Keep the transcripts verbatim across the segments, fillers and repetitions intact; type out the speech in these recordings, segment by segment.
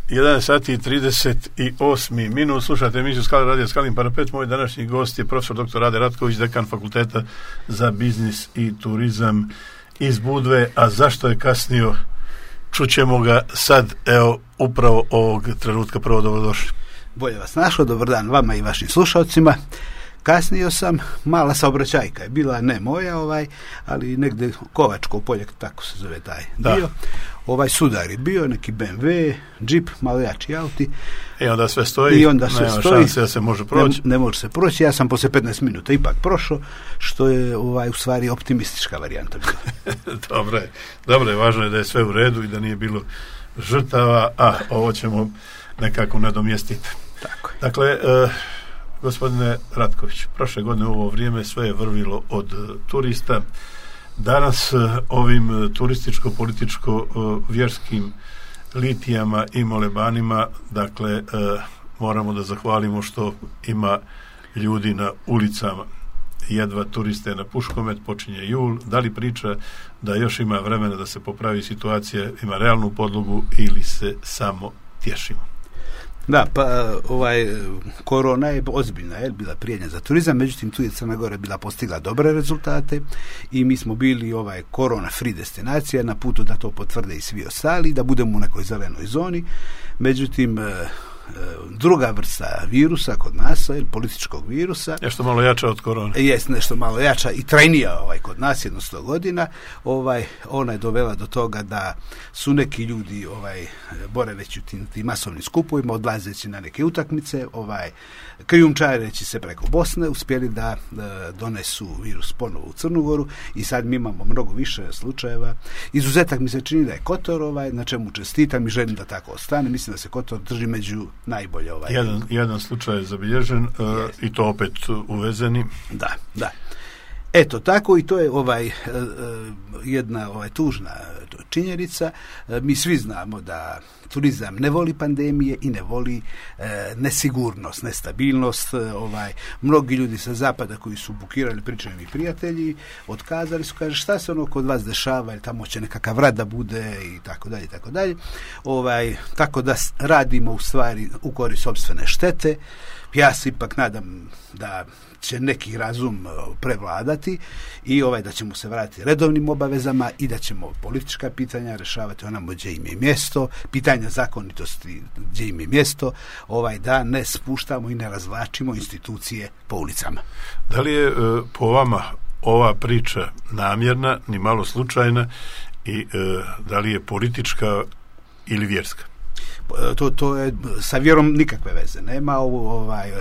jedanaest sati i trideset osam minut, slušate emisiju Skala radio Skalin parapet. Moj današnji gost je profesor doktor Rade Ratković, dekan Fakulteta za biznis i turizam iz Budve. A zašto je kasnio? Čućemo ga sad, evo, upravo ovog trenutka. Prvo, dobrodošli. Bolje vas našao, dobar dan vama i vašim slušalcima. Kasnio sam, mala saobraćajka je bila, ne moja, ovaj, ali negde Kovačko polje, tako se zove taj da. dio. Ovaj sudar je bio, neki B M W, džip, malo jači auti. I onda sve stoji, I onda sve nema stoji, šanse da se može proći. Ne, ne može se proći, ja sam poslije petnaest minuta ipak prošao, što je ovaj, u stvari optimistička varijanta bila. Dobro je, dobro je, važno je da je sve u redu i da nije bilo žrtava, a ovo ćemo nekako nadomjestiti. Tako je. Dakle, e, gospodine Ratković, prošle godine u ovo vrijeme sve je vrvilo od uh, turista. Danas uh, ovim uh, turističko-političko-vjerskim uh, litijama i molebanima, dakle, uh, moramo da zahvalimo što ima ljudi na ulicama. Jedva turiste na Puškomet, počinje jul. Da li priča da još ima vremena da se popravi situacija, ima realnu podlogu ili se samo tješimo? Da, pa ovaj korona je ozbiljna, je bila prijetnja za turizam, međutim tu je Crna Gora bila postigla dobre rezultate i mi smo bili ovaj korona free destinacija, na putu da to potvrde i svi ostali, da budemo u nekoj zelenoj zoni. Međutim, druga vrsta virusa kod nas, političkog virusa, nešto malo jača od korone. Jest nešto malo jača i trajnija ovaj kod nas, jedno sto godina. Ovaj ona je dovela do toga da su neki ljudi ovaj boraveći u tim, tim masovnim skupovima, odlazeći na neke utakmice, ovaj krijumčareći se preko Bosne, uspjeli da, da donesu virus ponovo u Crnu Goru i sad mi imamo mnogo više slučajeva. Izuzetak mi se čini da je Kotor, ovaj, na čemu čestitam i želim da tako ostane. Mislim da se Kotor drži među najbolje. Ovaj. Jedan, jedan slučaj je zabilježen uh, i to opet uvezeni. Da, da. Eto, tako i to je ovaj jedna ovaj tužna činjenica. Mi svi znamo da turizam ne voli pandemije i ne voli e, nesigurnost, nestabilnost. Ovaj mnogi ljudi sa zapada koji su bukirali, pričaju mi prijatelji, otkazali su, kaže šta se ono kod vas dešava, jer tamo će nekakav rad da bude i tako dalje, tako dalje. Ovaj tako da radimo u stvari u korist sopstvene štete. Ja se ipak nadam da će neki razum prevladati i ovaj da ćemo se vratiti redovnim obavezama i da ćemo politička pitanja rješavati onamo gdje im je mjesto, pitanja zakonitosti gdje im je mjesto, ovaj da ne spuštamo i ne razvlačimo institucije po ulicama. Da li je po vama ova priča namjerna, ni malo slučajna i da li je politička ili vjerska? To, to je sa vjerom nikakve veze nema. Ovaj,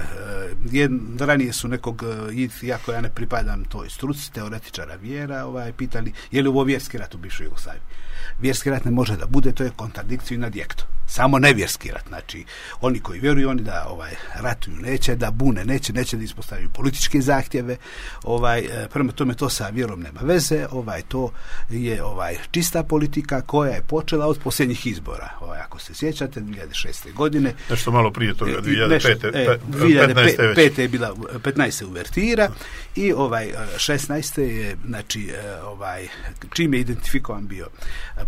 jed, ranije su nekog, iako ja ne pripadam toj struci, teoretičara vjera, ovaj, pitali je li ovo vjerski rat u bivšoj Jugoslaviji. Vjerski rat ne može da bude, to je kontradikciju na dijekto. Samo nevjerski rat, znači oni koji vjeruju, oni da ovaj ratuju neće, da bune neće, neće da ispostavljaju političke zahtjeve, ovaj prema tome to sa vjerom nema veze, ovaj to je ovaj čista politika koja je počela od posljednjih izbora. Ovaj ako se sjećate dvije hiljade šeste godine, nešto malo prije toga dvije hiljade pete, e, dvije hiljade pete je bila petnaeste uvertira i ovaj šesnaeste je znači ovaj čim je identifikovan bio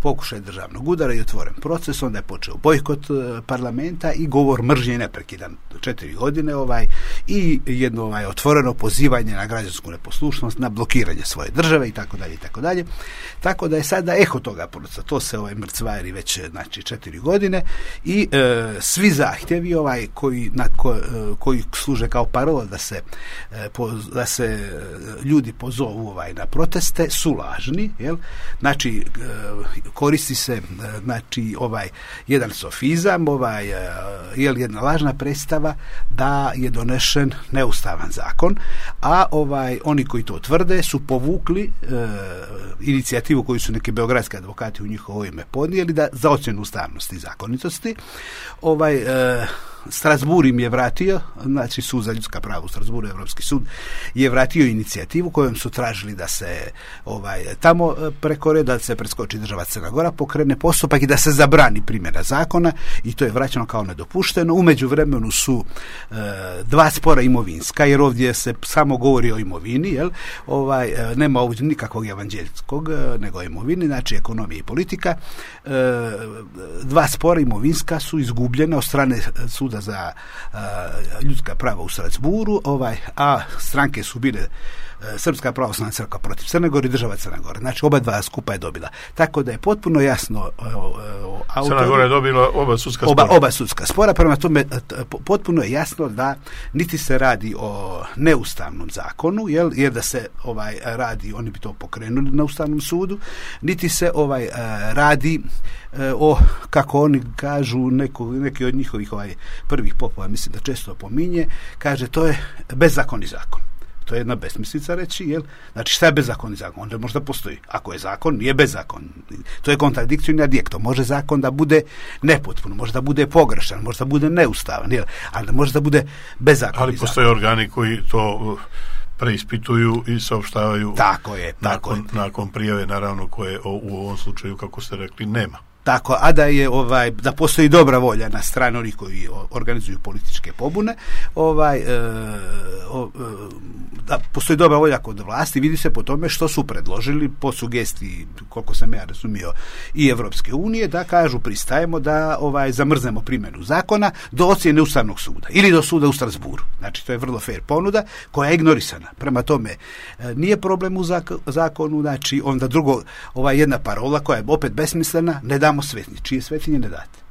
pokušaj državnog udara i otvoren proces, onda je počeo bojkot parlamenta i govor mržnje neprekidan četiri godine ovaj i jedno ovaj otvoreno pozivanje na građansku neposlušnost, na blokiranje svoje države i tako dalje i tako dalje. Tako da je sada eho toga procesa, to se ovaj mrcvari već znači četiri godine i e, svi zahtjevi ovaj koji na ko, e, koji služe kao parola da se e, po, da se ljudi pozovu ovaj na proteste su lažni, jel? Znači e, koristi se znači ovaj jedan sofizam, ovaj je li jedna lažna predstava da je donešen neustavan zakon, a ovaj oni koji to tvrde su povukli e, inicijativu koju su neki beogradski advokati u njihovo ime podnijeli da za ocjenu ustavnosti i zakonitosti. Ovaj e, Strasbourg im je vratio, znači sud za ljudska prava u Strasbourgu, Evropski sud, je vratio inicijativu kojom su tražili da se ovaj, tamo preko reda, da se preskoči država Crna Gora, pokrene postupak i da se zabrani primjena zakona i to je vraćeno kao nedopušteno. U međuvremenu su e, dva spora imovinska, jer ovdje se samo govori o imovini, jel? Ovaj, e, nema ovdje nikakvog evanđeljskog, nego o imovini, znači ekonomija i politika. E, dva spora imovinska su izgubljena od strane suda za uh, ljudska prava u Strasbourgu, ovaj, a stranke su bile uh, Srpska pravoslavna crkva protiv Crne Gore i država Crna Gora. Znači oba dva skupa je dobila. Tako da je potpuno jasno uh, uh, autor, Crna Gora je dobila oba sudska oba, spora. Oba sudska spora, prema tome uh, potpuno je jasno da niti se radi o neustavnom zakonu, jel, jer da se ovaj radi, oni bi to pokrenuli na Ustavnom sudu, niti se ovaj uh, radi uh, o, kako oni kažu, neko, neki od njihovih ovaj prvih popova, mislim da često pominje, kaže to je bezakonni zakon. To je jedna besmislica reći, jel? Znači šta je bezakonni zakon? Onda možda postoji. Ako je zakon, nije bezakon. To je kontradikcijni adjekto. Može zakon da bude nepotpun, može da bude pogrešan, može da bude neustavan, jel? Ali može da bude bezakonni Ali postoje zakon. Organi koji to preispituju i saopštavaju tako je, tako nakon, je. nakon prijave, naravno, koje u ovom slučaju, kako ste rekli, nema. Tako, a da je ovaj da postoji dobra volja na strani onih koji organizuju političke pobune, ovaj e, o, e, da postoji dobra volja kod vlasti, vidi se po tome što su predložili po sugestiji, koliko sam ja razumio, i Evropske unije, da kažu pristajemo da ovaj zamrznemo primjenu zakona do ocjene Ustavnog suda ili do suda u Strasbourgu. Znači to je vrlo fair ponuda koja je ignorisana. Prema tome e, nije problem u zakonu, znači onda drugo, ovaj jedna parola koja je opet besmislena, ne damo svetnje. Čije svetinje ne date?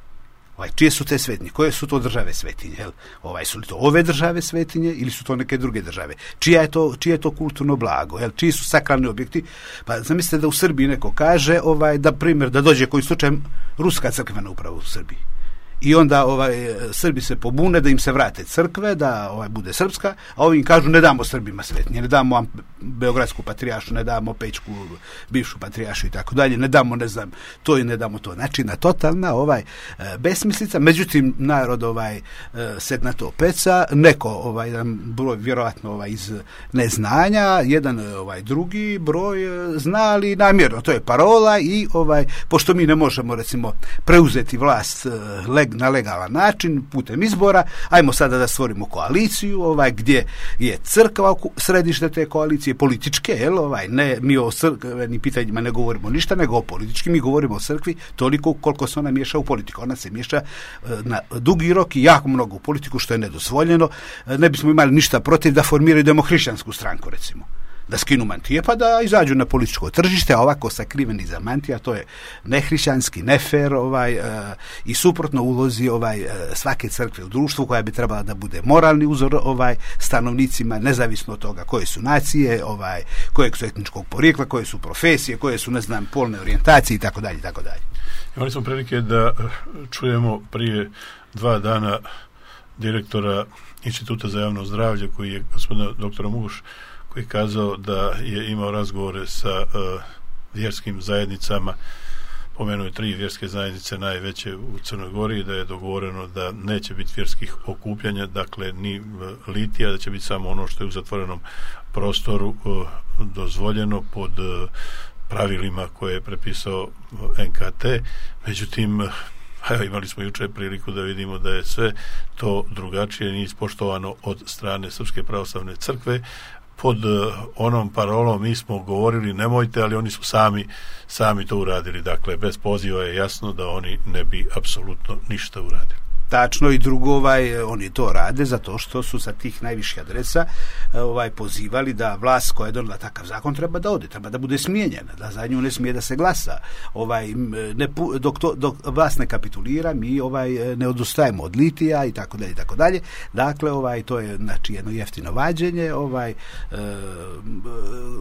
Ovaj, čije su te svetinje? Koje su to države svetinje? Jel? Ovaj, su li to ove države svetinje ili su to neke druge države? Čija je to, čije je to kulturno blago? Jel? Čiji su sakralni objekti? Pa zamislite da u Srbiji neko kaže, ovaj, da primjer, da dođe koji slučaj ruska crkvena uprava u Srbiji. I onda ovaj Srbi se pobune da im se vrate crkve, da ovaj bude srpska, a ovi im kažu ne damo Srbima svetinje, ne damo Beogradsku patrijaršu, ne damo Pećku bivšu patrijaršu i tako dalje, ne damo, ne znam, to i ne damo to. Znači na totalna ovaj besmislica, međutim narod ovaj se na to peca, neko ovaj jedan broj vjerojatno ovaj iz neznanja, jedan ovaj drugi broj znali namjerno, to je parola i ovaj pošto mi ne možemo recimo preuzeti vlast leg na legalan način, putem izbora, ajmo sada da stvorimo koaliciju, ovaj, gdje je crkva središte te koalicije, političke, jel, ovaj, ne, mi o crkvenim pitanjima ne govorimo ništa, nego o političkim, mi govorimo o crkvi toliko koliko se ona miješa u politiku. Ona se miješa na dugi rok i jako mnogo u politiku, što je nedozvoljeno. Ne bismo imali ništa protiv da formiraju demohrišćansku stranku, recimo. Da skinu mantije pa da izađu na političko tržište, a ovako sakriveni za mantija, to je nehrišćanski, nefer ovaj, uh, i suprotno ulozi ovaj, uh, svake crkve u društvu koja bi trebala da bude moralni uzor ovaj, stanovnicima, nezavisno od toga koje su nacije, ovaj, kojeg su etničkog porijekla, koje su profesije, koje su, ne znam, polne orijentacije i tako dalje, tako dalje. Imali smo prilike da čujemo prije dva dana direktora Instituta za javno zdravlje, koji je gospodina doktora Muguš, koji je kazao da je imao razgovore sa uh, vjerskim zajednicama, pomenuo je tri vjerske zajednice najveće u Crnoj Gori, i da je dogovoreno da neće biti vjerskih okupljanja, dakle ni litija, da će biti samo ono što je u zatvorenom prostoru uh, dozvoljeno pod uh, pravilima koje je prepisao N K T. Međutim, evo, imali smo jučer priliku da vidimo da je sve to drugačije, nije ispoštovano od strane Srpske pravoslavne crkve. Pod uh, onom parolom mi smo govorili nemojte, ali oni su sami sami to uradili. Dakle, bez poziva je jasno da oni ne bi apsolutno ništa uradili. Tačno, i drugo, ovaj, oni to rade zato što su sa tih najviših adresa ovaj, pozivali da vlast koja je donijela takav zakon treba da ode, treba da bude smijenjena, da za nju ne smije da se glasa. Ovaj, ne, dok, to, dok vlast ne kapitulira, mi ovaj, ne odustajemo od litija i tako dalje, i tako dalje. Dakle, ovaj, to je znači, jedno jeftino vađenje, ovaj, e,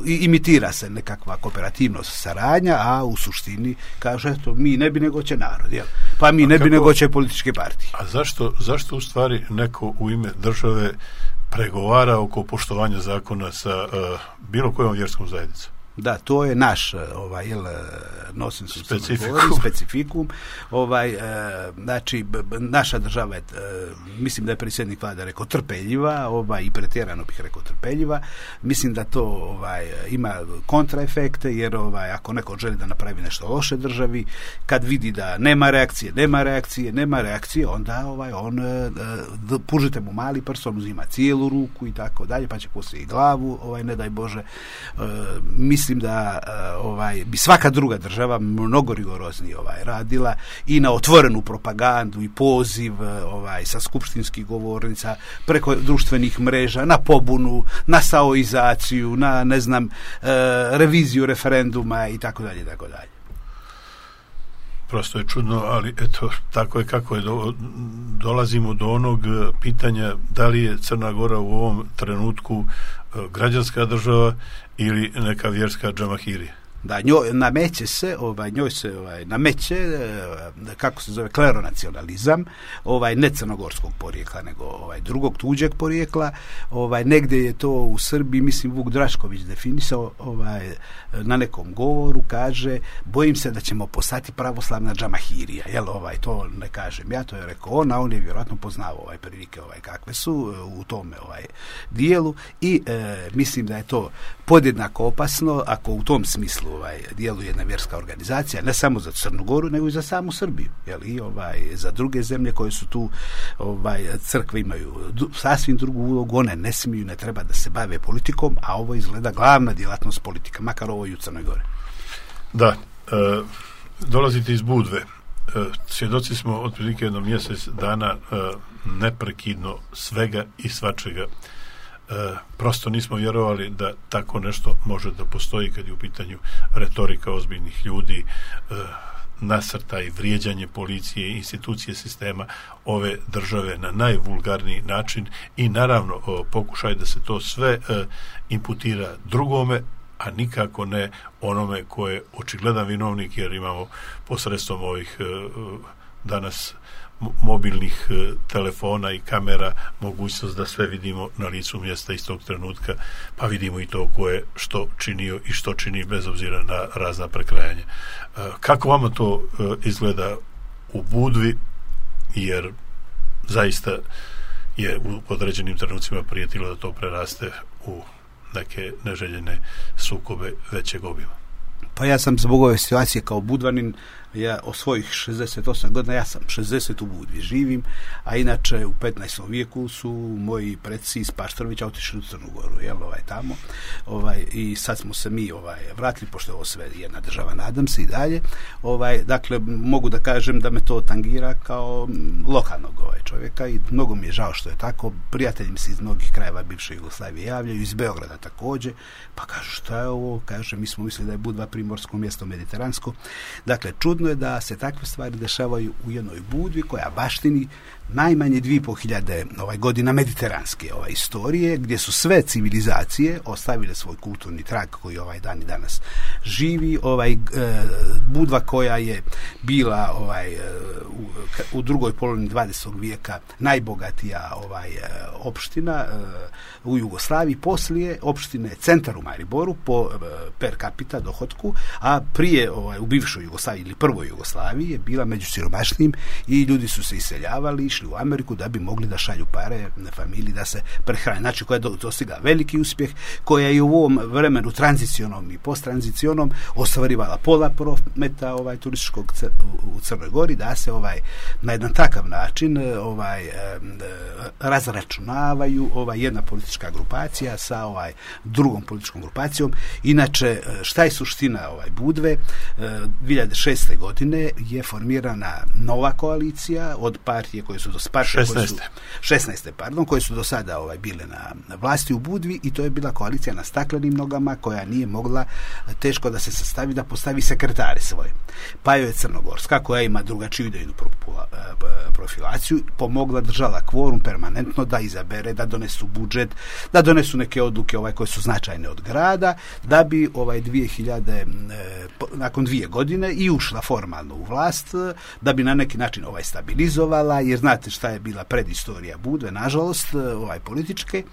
imitira se nekakva kooperativnost, saradnja, a u suštini kaže to mi ne bi nego će narod, jel? Pa mi a ne kako... bi nego će političke partije. A zašto, zašto u stvari neko u ime države pregovara oko poštovanja zakona sa uh, bilo kojom vjerskom zajednicom? Da, to je naš ovaj jel nonsens specifikum. specifikum. Ovaj e, znači b, b, naša država je e, mislim da je predsjednik vlade rekao trpeljiva, ovaj i pretjerano bih rekao trpeljiva. Mislim da to ovaj ima kontraefekte, jer ovaj ako neko želi da napravi nešto loše državi, kad vidi da nema reakcije, nema reakcije, nema reakcije, onda ovaj on e, pužite mu mali prst, on uzima cijelu ruku i tako dalje, pa će poslije i glavu, ovaj ne daj Bože. E, mislim da uh, ovaj bi svaka druga država mnogo rigoroznije ovaj radila i na otvorenu propagandu i poziv uh, ovaj sa skupštinskih govornica, preko društvenih mreža, na pobunu, na saoizaciju, na ne znam uh, reviziju referenduma i tako dalje, tako dalje. Prosto je čudno, ali eto, tako je kako je. Do, dolazimo do onog pitanja da li je Crna Gora u ovom trenutku uh, građanska država ili neka vjerska džamahirija. Da, njoj nameće se, ovaj njoj se ovaj nameće kako se zove kleronacionalizam, ovaj ne crnogorskog porijekla, nego ovaj drugog tuđeg porijekla. Ovaj negdje je to u Srbiji, mislim Vuk Drašković definisao, ovaj na nekom govoru kaže: bojim se da ćemo postati pravoslavna džamahirija. Jel, ovaj to ne kažem ja, to je rekao on, a on je vjerojatno poznao ovaj prilike ovaj kakve su u tome ovaj dijelu i e, mislim da je to podjednako opasno ako u tom smislu ovaj djeluje jedna vjerska organizacija, ne samo za Crnu Goru, nego i za samu Srbiju, jel, i ovaj za druge zemlje koje su tu, ovaj crkve imaju du, sasvim drugu ulogu, one ne smiju, ne treba da se bave politikom, a ovo izgleda glavna djelatnost politika, makar ovo i u Crnoj Gori. Da, e, dolazite iz Budve. E, svjedoci smo otprilike jedno mjesec dana e, neprekidno svega i svačega. E, prosto nismo vjerovali da tako nešto može da postoji kad je u pitanju retorika ozbiljnih ljudi, e, nasrtaj, vrijeđanje policije, institucije sistema ove države na najvulgarniji način i naravno o, pokušaj da se to sve e, imputira drugome, a nikako ne onome ko je očigledan vinovnik, jer imamo posredstvom ovih e, danas mobilnih e, telefona i kamera mogućnost da sve vidimo na licu mjesta istog trenutka, pa vidimo i to ko je što činio i što čini bez obzira na razna prekrajanja. E, kako vama to e, izgleda u Budvi, jer zaista je u određenim trenucima prijetilo da to preraste u neke neželjene sukobe većeg obima? Pa ja sam zbog ove situacije kao Budvanin, ja o svojih šezdeset osam godina, ja sam šezdeset u Budvi živim, a inače u petnaestom vijeku su moji preci iz Paštorovića otišli u Crnu Goru, jel, ovaj tamo, ovaj i sad smo se mi ovaj vratili, pošto je ovo sve jedna država, nadam se i dalje, ovaj dakle mogu da kažem da me to tangira kao lokalnog ovaj čovjeka i mnogo mi je žao što je tako. Prijatelji mi se iz mnogih krajeva bivše Jugoslavije javljaju, iz Beograda također, pa kažu šta je ovo, kaže mi smo mislili da je Budva primorsko mjesto mediteransko. Dakle, čudno je da se takve stvari dešavaju u jednoj Budvi koja baštini najmanje dvije i po hiljade ovaj, godina mediteranske ovaj, istorije, gdje su sve civilizacije ostavile svoj kulturni trag koji ovaj dan i danas živi. Ovaj, e, Budva koja je bila ovaj, u, u drugoj polovini dvadesetog vijeka najbogatija ovaj, opština e, u Jugoslaviji, poslije opštine centar u Mariboru po e, per capita dohotku, a prije ovaj, u bivšoj Jugoslaviji ili prvoj Jugoslaviji je bila među siromašnim i ljudi su se iseljavali, išli u Ameriku da bi mogli da šalju pare na familiji da se prehrane. Znači koja je dostigla veliki uspjeh, koja je u ovom vremenu tranzicionom i posttranzicionom ostvarivala pola prometa ovaj turističkog u Crnoj Gori, da se ovaj na jedan takav način ovaj razračunavaju ovaj jedna politička grupacija sa ovaj drugom političkom grupacijom. Inače, šta je suština ovaj Budve? dvije hiljade šeste. godine je formirana nova koalicija od partije koje su do šesnaeste. šesnaeste pardon, koje su do sada ovaj bile na vlasti u Budvi, i to je bila koalicija na staklenim nogama koja nije mogla teško da se sastavi, da postavi sekretare svoje. Pa joj je Crnogorska koja ima drugačiju idejnu profilaciju, pomogla, držala kvorum permanentno da izabere, da donesu budžet, da donesu neke odluke ovaj koje su značajne od grada, da bi ovaj dvije hiljade nakon dvije godine i ušla formalno u vlast, da bi na neki način ovaj stabilizovala, jer znate šta je bila predistorija Budve, nažalost, ovaj političke.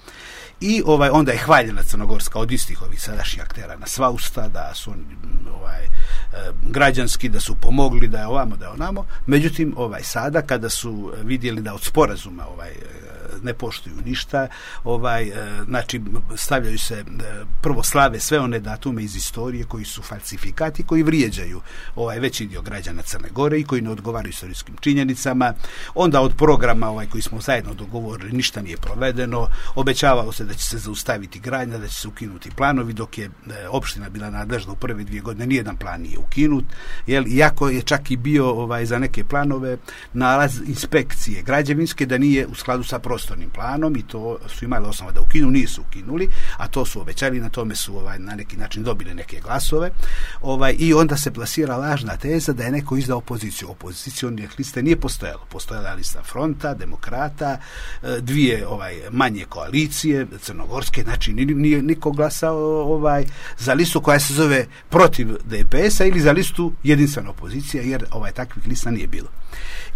I ovaj onda je hvaljena Crnogorska od istih ovih sadašnjih aktera na sva usta, da su oni ovaj građanski, da su pomogli, da je ovamo, da je onamo. Međutim, ovaj sada kada su vidjeli da od sporazuma ovaj ne poštuju ništa, ovaj znači stavljaju se prvo slave sve one datume iz istorije koji su falsifikati, koji vrijeđaju ovaj veći dio građana Crne Gore i koji ne odgovaraju istorijskim činjenicama. Onda od programa ovaj koji smo zajedno dogovorili ništa nije provedeno. Obećavalo se da će se zaustaviti gradnja, da će se ukinuti planovi, dok je e, opština bila nadležna u prve dvije godine, nijedan plan nije ukinut, jel, iako je čak i bio ovaj za neke planove nalaz inspekcije građevinske da nije u skladu sa prostornim planom, i to su imali osnova da ukinu, nisu ukinuli, a to su obećali, na tome su ovaj na neki način dobili neke glasove, ovaj i onda se plasira lažna teza da je neko izdao opoziciju. Opozicione liste nije postojalo. Postojala lista Fronta, Demokrata, dvije ovaj manje koalicije crnogorske, znači nije niko glasao ovaj za listu koja se zove protiv D P S-a ili za listu jedinstvena opozicija, jer ovaj takvih lista nije bilo.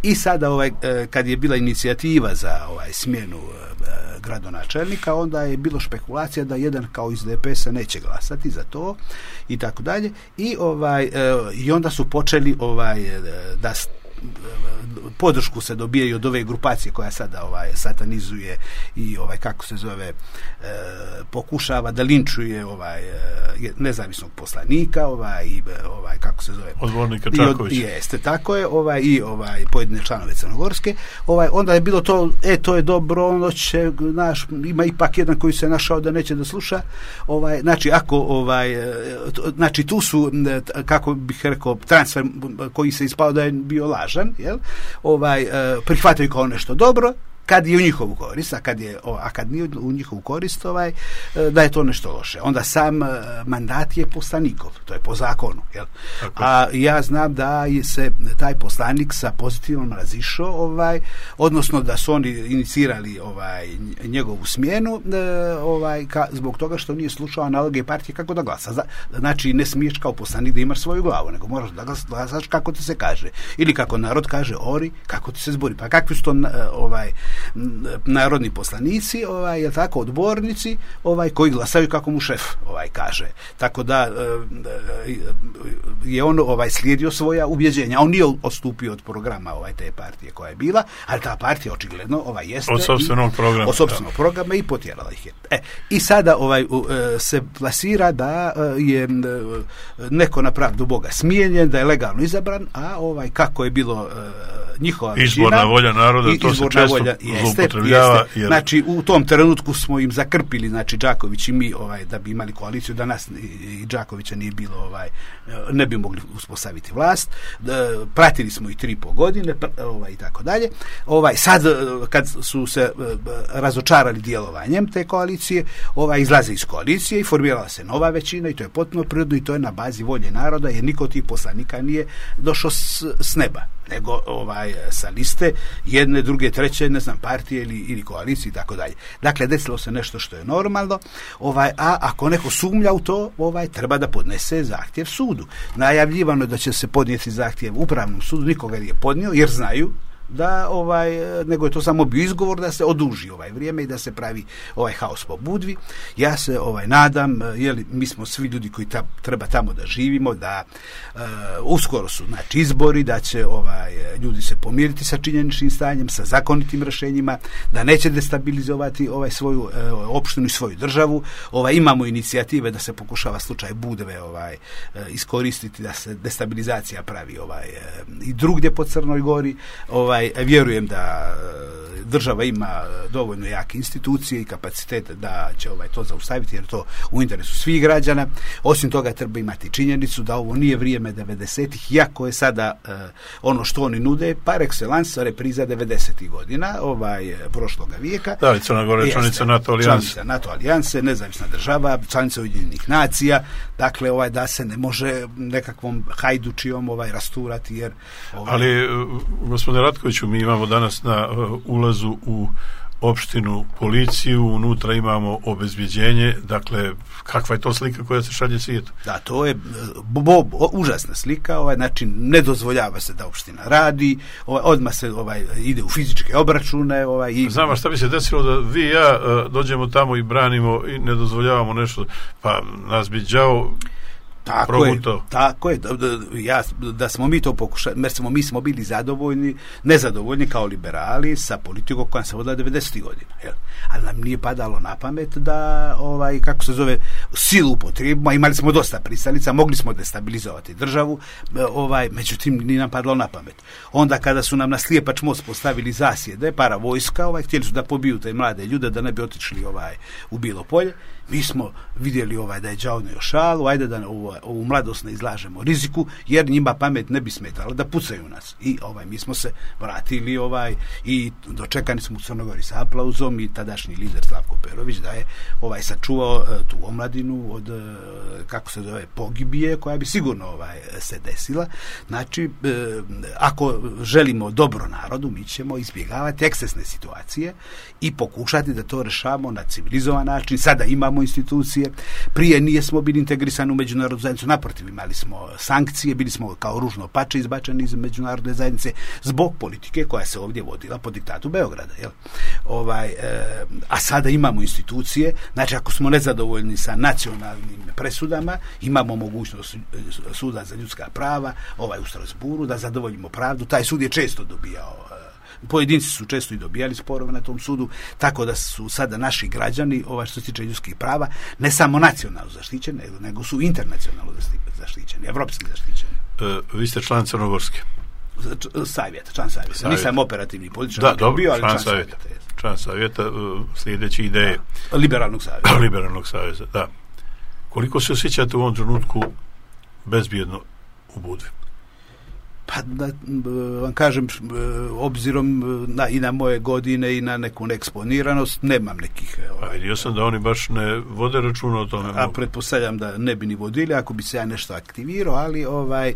I sada ovaj kad je bila inicijativa za ovaj smjenu gradonačelnika, onda je bilo špekulacija da jedan kao iz D P S-a neće glasati za to i tako dalje. I ovaj i onda su počeli ovaj da podršku se dobijaju od ove grupacije koja sada ovaj satanizuje i ovaj kako se zove e, pokušava da linčuje ovaj nezavisnog poslanika, ovaj i ovaj kako se zove odbornika Čakovića. Jeste, tako je, ovaj i ovaj pojedine članove Crnogorske, ovaj onda je bilo to, e to je dobro, ono će naš ima ipak jedan koji se našao da neće da sluša, ovaj znači ako ovaj znači tu su, kako bih rekao, transfer koji se ispao da je bio lažan, jel? Ovaj prihvataju kao nešto dobro kad je u njihovu korist, a kad je a kad nije u njihovu korist, ovaj da je to nešto loše. Onda sam mandat je poslanikov, to je po zakonu, jel? A ja znam da je se taj poslanik sa pozitivnom razišao, ovaj odnosno da su oni inicirali ovaj njegovu smjenu, ovaj ka, zbog toga što nije slušao naloge partije kako da glasa. Znači ne smiješ kao poslanik da imaš svoju glavu, nego moraš da glasaš kako ti se kaže, ili kako narod kaže ori, kako ti se zbori. Pa kakvi su to ovaj narodni poslanici, ovaj je tako, odbornici, ovaj koji glasaju kako mu šef ovaj kaže. Tako da je on ovaj slijedio svoja ubjeđenja. On nije odstupio od programa ovaj te partije koja je bila, ali ta partija očigledno ovaj jeste od sopstvenog programa. Od sopstvenog programa i potjerala ih je. E, i sada ovaj se plasira da je neko na pravdu Boga smijenjen, da je legalno izabran, a ovaj kako je bilo njihova izborna većina, volja naroda, to se često zloupotrebljava. Jer... Znači, u tom trenutku smo im zakrpili, znači Đaković i mi, ovaj, da bi imali koaliciju, da nas i Đakovića nije bilo, ovaj, ne bi mogli uspostaviti vlast. Pratili smo i tri i po godine, ovaj, i tako dalje. Ovaj, sad, kad su se razočarali djelovanjem te koalicije, ovaj, izlaze iz koalicije i formirala se nova većina, i to je potpuno prirodno, i to je na bazi volje naroda, jer niko od tih poslanika nije došao s, s neba, nego ovaj sa liste jedne, druge, treće, ne znam, partije ili, ili koalicije i tako dalje. Dakle, desilo se nešto što je normalno, ovaj, a ako neko sumnja u to, ovaj treba da podnese zahtjev sudu. Najavljivano je da će se podnijeti zahtjev upravnom sudu, nikoga nije podnio, jer znaju da ovaj nego je to samo bio izgovor da se oduži ovaj vrijeme i da se pravi ovaj haos po Budvi. Ja se ovaj nadam, je li mi smo svi ljudi koji ta, treba tamo da živimo, da uh, uskoro su znači izbori, da će ovaj ljudi se pomiriti sa činjeničnim stanjem, sa zakonitim rješenjima, da neće destabilizovati ovaj svoju uh, opštinu i svoju državu. Ovaj imamo inicijative da se pokušava slučaj Budve ovaj uh, iskoristiti da se destabilizacija pravi ovaj uh, i drugdje po Crnoj Gori. Ovaj vjerujem da država ima dovoljno jake institucije i kapacitete da će ovaj to zaustaviti, jer to u interesu svih građana. Osim toga treba imati činjenicu da ovo nije vrijeme devedesetih, iako je sada uh, ono što oni nude par excellence repriza devedesetih godina ovaj prošloga vijeka. Da, Crna Gora je članica NATO alijanse. Članica NATO alijanse, nezavisna država, članica Ujedinjenih nacija, dakle ovaj da se ne može nekakvom hajdučijom ovaj rasturati, jer ovaj... Ali gospodine Ratkoviću, mi imamo danas na uh, ulazu u opštinu policiju, unutra imamo obezbjeđenje, dakle, kakva je to slika koja se šalje svijetu? Da, to je bo, bo, užasna slika, ovaj, znači, ne dozvoljava se da opština radi, ovaj, odmah se ovaj, ide u fizičke obračune. Ovaj, i... Znam, šta bi se desilo da vi i ja uh, dođemo tamo i branimo i ne dozvoljavamo nešto, pa nas bi đao Tako proguto. je, tako je. Da, da, ja, da smo mi to pokušali, jer smo, mi smo bili zadovoljni, nezadovoljni kao liberali sa politikom koja se vodila devedesetih godina. Jel? Ali nam nije padalo na pamet da, ovaj, kako se zove, silu upotrijebimo, imali smo dosta pristalica, mogli smo destabilizovati državu, ovaj, međutim, nije nam padalo na pamet. Onda kada su nam na Slijepač most postavili zasjede, para vojska, ovaj, htjeli su da pobiju te mlade ljude, da ne bi otišli ovaj, u Bilo polje. Mi smo vidjeli ovaj da je đavo ne šalu, ajde da ovu, ovu mladost ne izlažemo riziku, jer njima pamet ne bi smetala da pucaju nas. I ovaj mi smo se vratili ovaj i dočekani smo u Crnogori sa aplauzom i tadašnji lider Slavko Perović da je ovaj sačuvao uh, tu omladinu od uh, kako se zove pogibije koja bi sigurno ovaj se desila. Znači, uh, ako želimo dobro narodu, mi ćemo izbjegavati ekscesne situacije i pokušati da to rešavamo na civilizovan način. Sada imamo institucije, prije nije smo bili integrisani u međunarodnu zajednicu, naprotiv, imali smo sankcije, bili smo kao ružno pače izbačeni iz međunarodne zajednice zbog politike koja se ovdje vodila po diktatu Beograda. Jel? Ovaj, e, a sada imamo institucije, znači ako smo nezadovoljni sa nacionalnim presudama, imamo mogućnost suda za ljudska prava, ovaj u Strasburu, da zadovoljimo pravdu. Taj sud je često dobijao, pojedinci su često i dobijali sporove na tom sudu, tako da su sada naši građani, ovaj što se tiče ljudskih prava, ne samo nacionalno zaštićeni, nego su internacionalno zaštićeni, evropski zaštićeni. E, vi ste član Crnogorske? Savjeta, član savjeta. savjeta. Nisam operativni političar, da, dobro, bio, ali član, član savjeta. savjeta. Član savjeta, sljedeći ideje. Da. Liberalnog savjeta. Liberalnog savjeta, da. Koliko se osjećate u ovom trenutku bezbjedno u Budvi? Pa da vam kažem, obzirom na, i na moje godine i na neku neeksponiranost, nemam nekih... Ovaj, a vidio sam da oni baš ne vode računa o tome. A pretpostavljam da ne bi ni vodili ako bi se ja nešto aktivirao, ali ovaj e,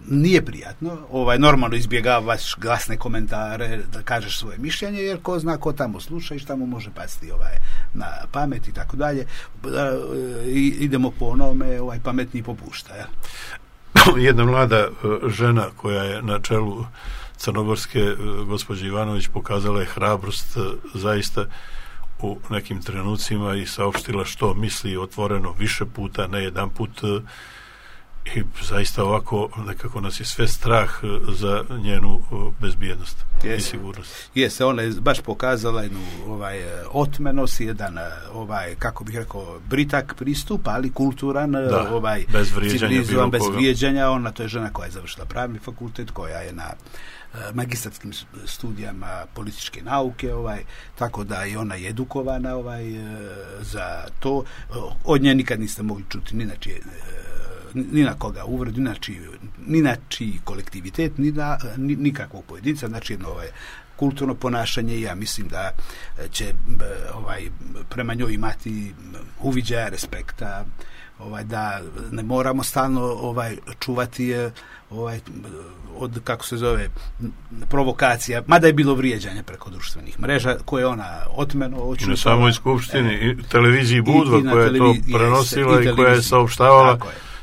nije prijatno. Ovaj, normalno izbjegavaš glasne komentare, da kažeš svoje mišljenje, jer ko zna ko tamo sluša i šta mu može pasti ovaj, na pamet i tako dalje. Idemo po onome, ovaj, pametniji popušta, ja. Jedna mlada žena koja je na čelu Crnogorske, gospođa Ivanović, pokazala je hrabrost zaista u nekim trenucima i saopštila što misli otvoreno više puta, ne jedan put, i zaista ovako nekako nas je sve strah za njenu bezbjednost yes. i sigurnost. Jeste, ona je baš pokazala jednu ovaj, otmenost, jedan ovaj, kako bih rekao, britak pristup, ali kulturan, da, ovaj, bez vrijeđanja, bez vrijeđanja. Ona, to je žena koja je završila pravni fakultet, koja je na magistarskim studijama političke nauke, ovaj, tako da i ona je edukovana ovaj, za to. Od nje nikad niste mogli čuti ni na čije, ni na koga uvredu, ni na čiji, ni na čiji kolektivitet, ni na ni, nikakvog pojedinca, znači jedno ovaj, kulturno ponašanje i ja mislim da će ovaj, prema njoj imati uviđaja, respekta, ovaj, da ne moramo stalno ovaj, čuvati ovaj, od, kako se zove, provokacija, mada je bilo vrijeđanje preko društvenih mreža, koje ona otmeno... I na samoj skupštini, evo, i televiziji Budva, i, i koja je to prenosila i, i koja je saopštavala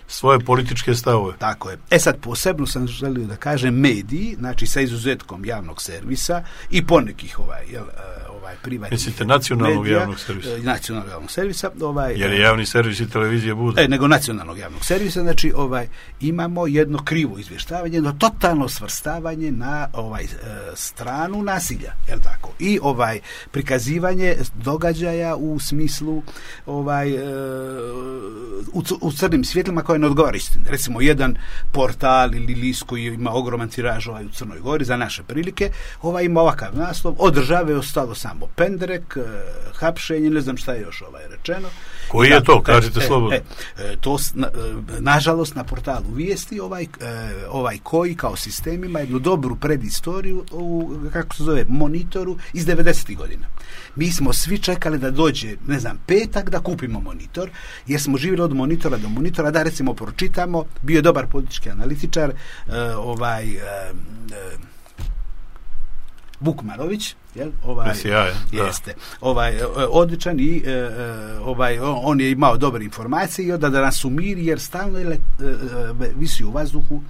svoje političke stavove. Tako je. E sad, posebno sam želio da kažem mediji, znači sa izuzetkom javnog servisa i ponekih ovaj, jel, ovaj privatnih Mislite nacionalnog medija, javnog servisa? Nacionalnog javnog servisa. Ovaj, jer je javni servis i televizija bude. E, nego nacionalnog javnog servisa, znači ovaj, imamo jedno krivo izvještavanje, jedno totalno svrstavanje na ovaj, stranu nasilja, je li tako? I ovaj prikazivanje događaja u smislu ovaj, u, u crnim svjetlima koje ne odgovara istini. Recimo, jedan portal ili list koji ima ogroman tiraž ovaj, u Crnoj Gori za naše prilike, ovaj ima ovakav naslov: od države je ostalo samo pendrek, hapšenje, ne znam šta je još ovaj rečeno. Koji je to? Kažite e, slobodno. E, e, to, na, nažalost, na portalu Vijesti ovaj, e, ovaj koji kao sistem ima jednu dobru predistoriju u, kako se zove, monitoru iz devedesetih godina. Mi smo svi čekali da dođe, ne znam, petak da kupimo monitor, jer smo živjeli od monitora do monitora, da recimo pročitamo, bio je dobar politički analitičar, e, ovaj e, e, Vukmanović, jel? Ovaj, Sjaj, jeste, ovaj, odličan i e, ovaj, on je imao dobre informacije i onda da nas umiri, jer stalno je, e, visi u vazduhu,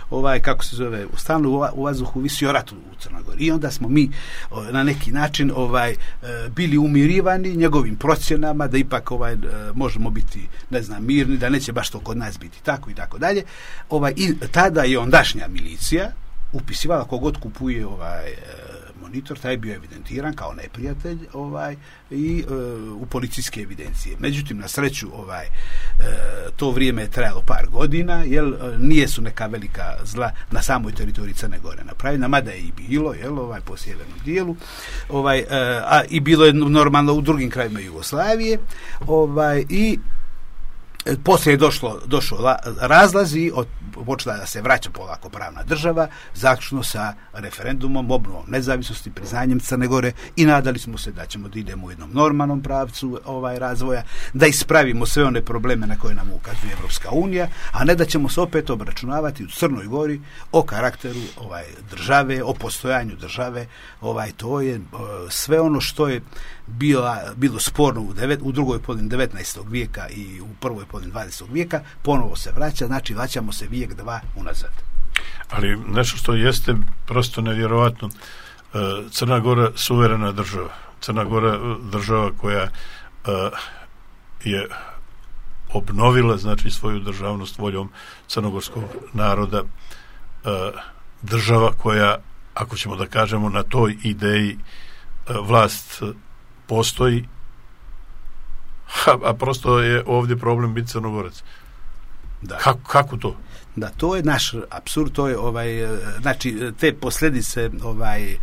ovaj, kako se zove, stalno u vazduhu visi o ratu u Crnoj Gori. I onda smo mi na neki način ovaj, bili umirivani njegovim procjenama da ipak ovaj, možemo biti, ne znam, mirni, da neće baš to kod nas biti tako i tako dalje. Ovaj, i tada je ondašnja milicija upisivala kogod kupuje ovaj monitor, taj je bio evidentiran kao neprijatelj ovaj, i e, u policijske evidencije. Međutim, na sreću ovaj, e, to vrijeme je trajalo par godina, jer nije su neka velika zla na samoj teritoriji Crne Gore napravljena, mada je i bilo, jel, ovaj, po sjevernom dijelu, ovaj, e, a i bilo je normalno u drugim krajima Jugoslavije, ovaj, i poslije je došlo, došlo razlazi, od, počela da se vraća polako pravna država, zaključno sa referendumom, obnovom nezavisnosti, priznanjem Crne Gore, i nadali smo se da ćemo da idemo u jednom normalnom pravcu ovaj razvoja, da ispravimo sve one probleme na koje nam ukazuje Evropska unija, a ne da ćemo se opet obračunavati u Crnoj Gori o karakteru ovaj države, o postojanju države. Ovaj to je sve ono što je bila, bilo sporno u, devet, u drugoj polovini devetnaestog vijeka i u prvoj polovini dvadesetog vijeka, ponovo se vraća, znači vraćamo se vijek dva unazad. Ali nešto što jeste prosto nevjerovatno, Crna Gora suverena država. Crna Gora država koja je obnovila, znači, svoju državnost voljom crnogorskog naroda, država koja, ako ćemo da kažemo, na toj ideji vlast postoji, a, a prosto je ovdje problem biti Crnogorac. Da. Kako, kako to? Da, to je naš apsurd, to je ovaj, znači te posljedice ovaj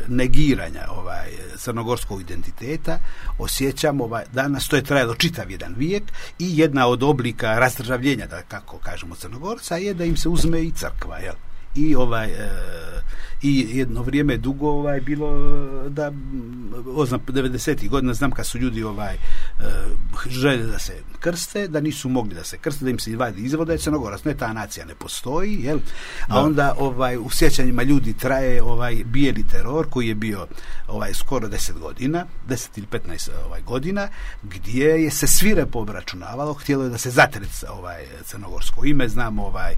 negiranja ovaj crnogorskog identiteta osjećamo ovaj danas, to je trajalo čitav jedan vijek, i jedna od oblika razdržavljenja, da kako kažemo, Crnogorca je da im se uzme i crkva, jel? I ovaj e, i jedno vrijeme dugo ovaj bilo da oznam devedesetih godina, znam kad su ljudi ovaj e, željeli da se krste, da nisu mogli da se krste, da im se izvadi izvoda, Crnogorac, ne, ta nacija ne postoji, jel? A onda ovaj u sjećanjima ljudi traje ovaj bijeli teror koji je bio ovaj skoro deset godina, deset ili petnaest ovaj godina, gdje je se svirepo obračunavalo, htjelo je da se zatre ovaj crnogorsko ime, znamo ovaj e,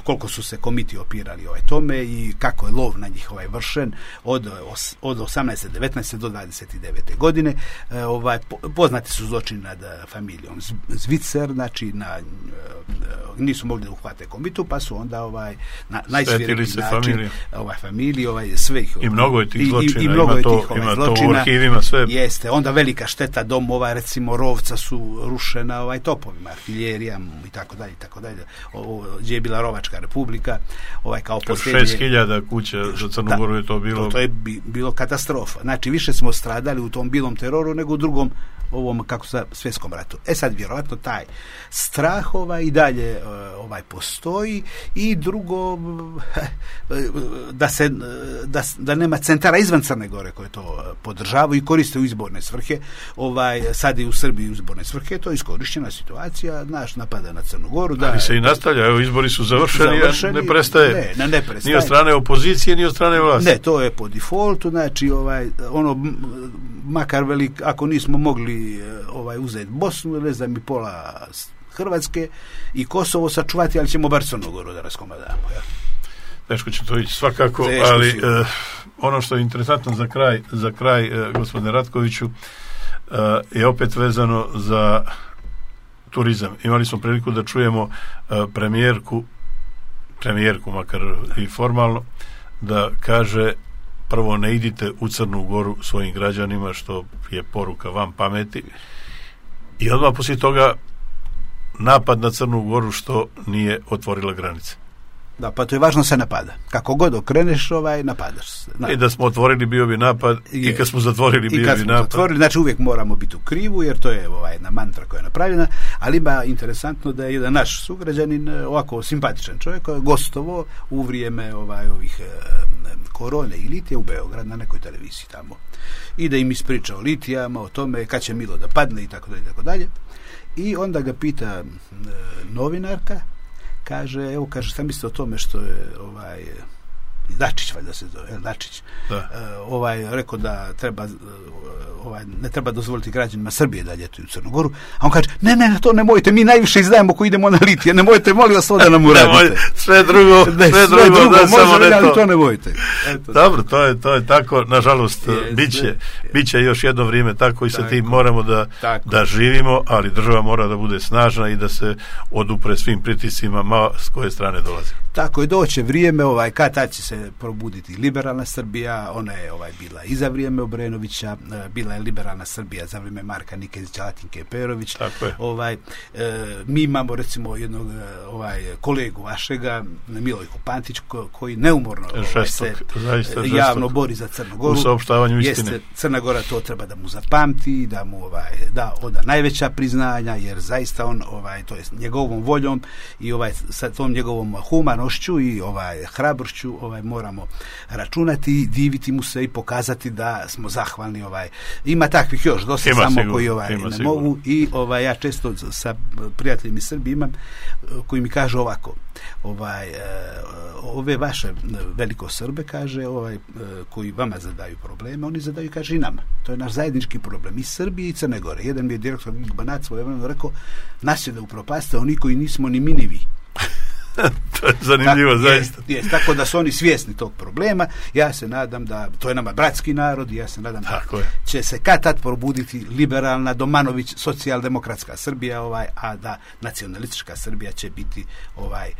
koliko su se komiti opirali ovaj tome i kako je lov na njih ovaj vršen od od osamnaeste devetnaeste do dvadeset devete godine. E, ovaj poznati su zločini nad familijom Zvicer, znači na e, nisu mogli da uhvate komitu, pa su onda ovaj na najsvirepiji način familije. ovaj familiji ovaj sve ih, i mnogo je tih zločina, i, i mnogo ima, to, tih, ovaj, ima zločina, to u arhivima sve. Jeste, onda velika šteta domova, recimo Rovca su rušena ovaj topovima, artiljerija i tako dalje, tako dalje. Gdje je bila Rovačka republika, ovaj kao posljednje šest hiljada kuća za Crnu Goru je to bilo. To, to je bi, bilo katastrofa. Znači više smo stradali u tom bilom teroru nego u drugom ovom, kako sa svjetskom ratu. E sad, vjerojatno taj strah ovaj i dalje ovaj postoji, i drugo da se da, da nema centara izvan Crne Gore koje to podržavaju i koriste u izborne svrhe. Ovaj sad i u Srbiji u izborne svrhe, to je iskorištena situacija, naš napada na Crnu Goru, da. Ali se i nastavlja, evo izbori su završeni, završeni ne prestaje. Ne, ne, ne prestaje. Ni od strane opozicije, ni od strane vlasti. Ne, to je po defaultu, znači ovaj ono makar velik, ako nismo mogli ovaj uzeti Bosnu, ne znam, i pola Hrvatske i Kosovo sačuvati, ali ćemo bar Crnu Goru da raskomadamo. Ja. Teško će to ići svakako, Teško ali uh, ono što je interesantno za kraj, za kraj e, gospodine Ratkoviću, e, je opet vezano za turizam. Imali smo priliku da čujemo e, premijerku, premijerku makar i formalno, da kaže prvo ne idite u Crnu Goru svojim građanima, što je poruka vam pameti, i odmah poslije toga napad na Crnu Goru što nije otvorila granice. Da, pa to je važno, se napada. Kako god okreneš, ovaj, napadaš se. I da smo otvorili bio bi napad, je, i kad smo zatvorili bio bi napad. I kad smo zatvorili, znači uvijek moramo biti u krivu, jer to je ovaj, jedna mantra koja je napravljena, ali ima interesantno da je jedan naš sugrađanin, ovako simpatičan čovjek, gostovo u vrijeme ovaj, ovih eh, korone i litije u Beograd na nekoj televiziji tamo. I da im ispriča o litijama, o tome kad će Milo da padne i tako dalje, tako dalje. I onda ga pita eh, novinarka, kaže, evo, kaže, šta mislite o tome što je ovaj Dačić, valjda se zove, Dačić, da. Uh, ovaj, rekao da treba, uh, ovaj, ne treba dozvoliti građanima Srbije da ljetuju u Crnu Goru, a on kaže, ne, ne, to nemojte, mi najviše izdajemo ko idemo na litije, nemojte, molim vas, da nam uradite. sve drugo, ne, sve drugo, sve drugo da, može, samo ne ali to. to nemojte. Eto. Dobro, to je, to je tako, nažalost, yes, biće, biće još jedno vrijeme tako i sa tim moramo da, da živimo, ali država mora da bude snažna i da se odupre svim pritiscima, ma s koje strane dolazi. Tako je, doće vrijeme, ovaj, kad tad će se probuditi liberalna Srbija, ona je ovaj, bila i za vrijeme Obrenovića, bila je liberalna Srbija za vrijeme Marka Nikezića, Latinke Perović. Ovaj, e, mi imamo recimo jednog ovaj, kolegu vašega, Milojko Pantić, ko, koji neumorno ovaj, se zaista, javno bori za Crnu Goru. U saopštavanju istine. Jeste, Crna Gora to treba da mu zapamti, da mu ovaj, da oda najveća priznanja, jer zaista on, ovaj, to je njegovom voljom i ovaj, sa tom njegovom humanošću i ovaj, hrabrošću ovaj, moramo računati, diviti mu se i pokazati da smo zahvalni. Ovaj. Ima takvih još dosta ima samo sigur, koji ovaj, ne sigur. mogu i ovaj, ja često sa prijateljima iz Srbije imam koji mi kažu ovako, ovaj, ove vaše veliko Srbe, kaže, ovaj, koji vama zadaju probleme, oni zadaju, kaže, i nama. To je naš zajednički problem i Srbije i Crne Gore. Jedan mi je direktor Banat svojevremeno rekao, nas je da upropaste oni koji nismo ni mi ni vi. To je zanimljivo, tako, zaista. Je, je, tako da su oni svjesni tog problema. Ja se nadam da, to je nama bratski narod, i ja se nadam tako da je. će se kad tad probuditi liberalna, Domanović, socijaldemokratska Srbija, ovaj, a da nacionalistička Srbija će biti ovaj, e,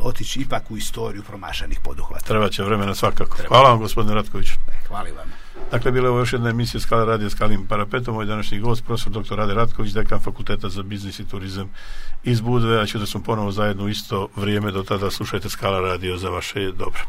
otići ipak u istoriju promašanih poduhvata. Treba će vremena svakako. Treba. Hvala vam, gospodine Ratkoviću. Hvala vam. Dakle, bila je ovo još jedna emisija Skala radio Skalim parapetom. Moj današnji gost, profesor doktor Rade Ratković, dekan Fakulteta za biznis i turizam iz Budve, a ću da smo ponovo zajedno isto vrijeme, do tada slušajte Skala radio za vaše dobro.